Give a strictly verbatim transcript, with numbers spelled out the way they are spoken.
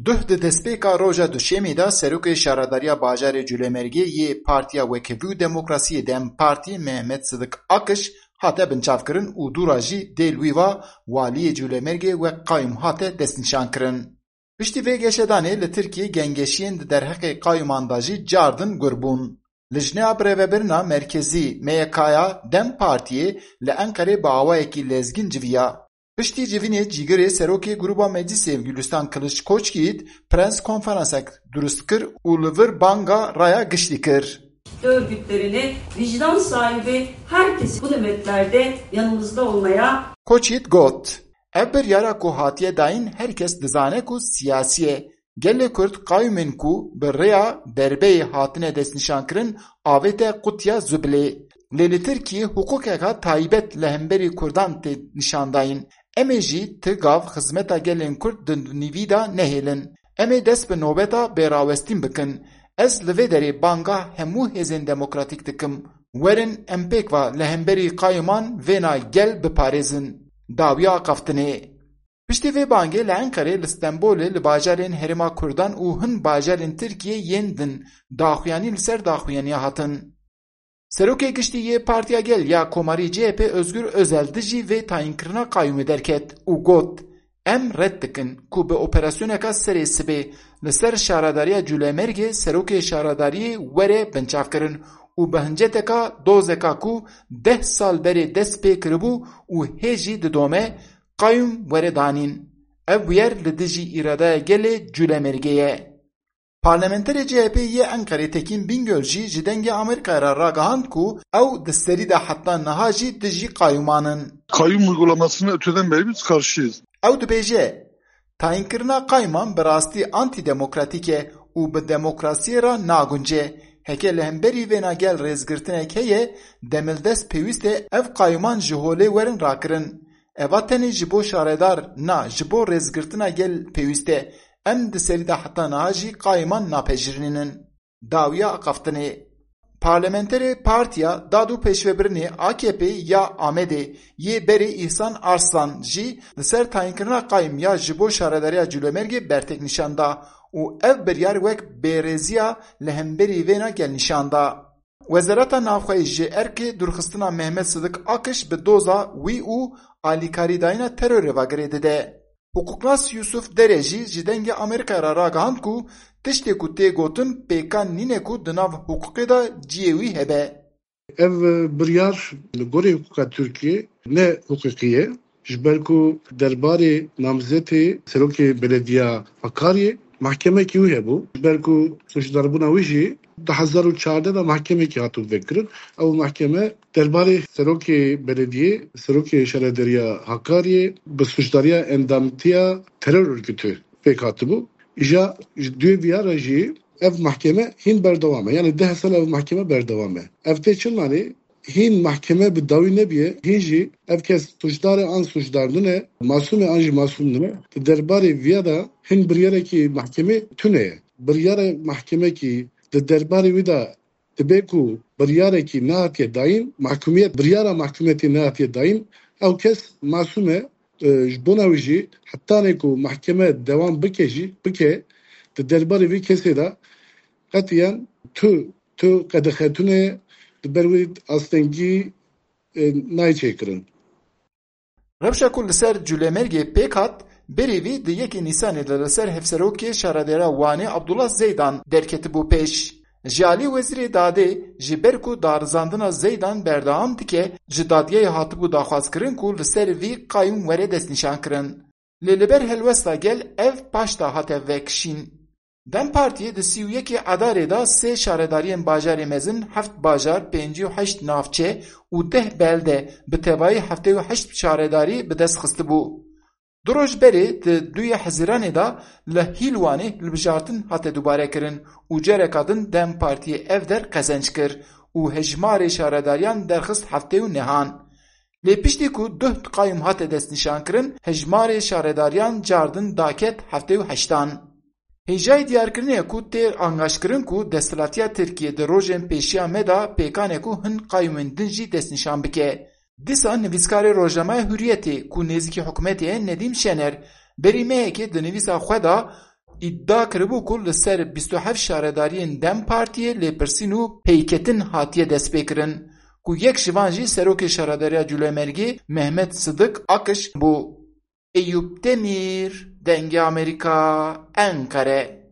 Duh di destpêka roja Duşemê de serokê şaredariya bajarê Culemêrgê yê Partiya Wekhevî û Demokrasiyê DEM Partî Mehmet Sidik Akiş hate binçavkirin û dûra jî dê li wî va waliyê Culemêrgê wek qayûm hate destnîşankirin. Piştî vê geşedanê li Tirkiyê gengeşiyên di derheqê qayûman de jî cardin gur bûn. Lijneya Birêvebirina Merkezî, M Y K'ya, DEM Partiyê li Enqerê bi awayekî lezgîn civiya. Piştî civînê cîgirê serokê Grûba Meclîsê Gulîstan Kiliç Koçkît prens konferansek durust kir û li vir banga raya giştî kir. Örgütlerine vicdan sahibi herkes bu nöbetlerde yanımızda olmaya Koçît got, Ev biryara ku hatiye dayîn her kes dizane ku siyasî ye. Gelê Kurd qayûmên ku bi rêya derbeyê hatine destnîşankirin avête qutiya zubilê. Lê li Tirkiyê hiqûqeka taybet li hemberî Kurdan tê nîşandayîn. Em ê jî ti gav xizmeta gelên Kurd di nîvî de nehêlin. Em ê dest bi nobeta bêrawestîn bikin. Ez li vê derê banga hemû hêzên demokratîk dikim. Werin em pêk ve li hemberî qayûman vêna gel biparêzin. Dawiya axaftinê. Piştî vê bangê li Enqerê, li Stenbolê, li bajarên Herêma Kurdan û hin bajarên Tirkiyê yên din daxuyanî li ser daxuyaniya hatin. Serokê Giştî yê Partiya Gel ya Komarî C H P Özgür Özel dijî vê tayînkirina qayûmê derket û got, Em red dikin ku bi operasyoneka serê sibê li ser şaredariya Culemêrgê serokê şaredariyê were binçavkirin û bi hinceteka dozeka ku deh sal berê dest pê kiribû û hê jî didome, qayûm were danîn. Ev bûyer li dijî îradaya gelê Culemêrgê ye. Parlamenterê C H P yê Enqerê Tekîn Bingöl jî ji Dengê Amerîkayê re ragihand ku ew di serî de heta niha jî dijî qayûman in. Kayyum uygulamasını öteden beri biz karşıyız. Ew dibêje, Tayinkirina qayûman bi rastî antîdemokratîk e û bi demokrasiyê re nagunce. Heke li hemberî vêna gel rêzgirtinek heye, demildest pêwîst e ev qayûman ji holê werin rakirin. Eva tenê ji bo şaredar na, ji bo rêzgirtina gel pêwîst e. Em di serî de heta niha jî qayûman napejirînin. Dawiya axaftinê. Parlamenterê Partiya Dad û Pêşvebirinê A K P ya Amedê yê berê Îhsan Arslan jî li ser tayinkirina qayûm ya ji bo şaredariya Culemêrgê bertek nîşan da û ev biryar wek bêrêziya li hemberî vêna gel nîşan da. Wezareta Navxweyî ji erkê dûrxistina Mehmet Sidik Akiş bi doza wî û alîkarîdayîna terorê ve girê dide. Hiqûqnas Yusuf Dere jî ji Dengê Amerîkayê re ragihand ku tiştê ku tê gotin pêkan nîne ku di nav hiqûqê de cihê wî hebe. Ev biryar li gorî hiqûqa Tirkiyê ne hiqûqî ye. Ji ber ku derbarê namzetê serokê belediya Hakariyê mahkemekî wî hebû. Ji ber ku suçdarbûna wî jî du hezar û çardeh de mahkemekî hatibû vekirin. Ew mahkeme derbarê serokê belediyê, serokê şaredariya Hakariyê bi suçdariya endamtiya teror örgütü pêk hatibû. Îja ji duê viya re jî ev mahkeme hîn berdewam e. Yani deh sal ev mahkeme berdewam e. Ev tê çi manê? Hîn mahkeme bi dawî nebiye, hîn jî ev kes suçdar e an suçdar nine, masûm e an jî masûm nine. Di derbarê viya de hin biryarekî mahkemê tune ye. Biryara mahkemekî di derbarê wî de dibe ku biryarekî nehatiye dayîn, mahkumiyet, biryara mahkumiyetê nehatiye dayîn, ew kes masûm e, e, ji bona wî jî hetanê ku mahkeme dewam bike jî, bike, di derbarê vî kesê de qetiyen tu, tu qedexetune, di ber wî astengî, e, nayê çêkirin. Rewşa ku li ser Culemêrgê pêk hat, berî vî di yekê Nîsanê de li ser hevserokê şaredêra Wanê Abdullah Zeydan derketibû pêş. Ji alî Wezîrê Dadê, ji ber ku darizandina Zeydan berdewam dike, ji dadgehê hatibû daxwazkirin ku li ser vî qayûm were destnîşankirin. Lê li ber helwesta gel ev paşta hate vekişîn. DEM Partiyê di sî û yekê Adarê de sê şaredariyên bajarê mezin, heft bajar, pêncî û heşt navçe û deh belde bi tevayî heftê û heşt şaredarî bi dest xistibû. Du roj berê di duyê Hezîranê de li Hîlwanê hilbijartin hate dubare kirin û careka din DEM Partiyê ev der qezenc kir û hejmarê şaredariyan derxist heftê û nehan. Lê piştî ku duh qayûm hate destnîşankirin, hejmarê şaredariyan cardin daket heftê û heştan. Hêjayî diyarkirinê ye ku tê angaşkirin ku desthilatiya Tirkiyê di rojên pêşiya me de pêkanê ku hin qayûmên din jî destnîşan bike. Dîsa nivîskarê rojnameya Hurriyetê ku nêzîkî hikûmetê ye Nedîm Şener, berî mehekê di nivîsa xwe de îdia kiribû ku li ser bîst û heft şaredariyên DEM Partiyê lêpirsîn û peyketin hatiye destpêkirin, ku yek ji van jî serokê Şaredariya Colemêrgê Mehmet Sidik Akiş bû. Eyûp Demîr, Dengê Amerîka, Enqere.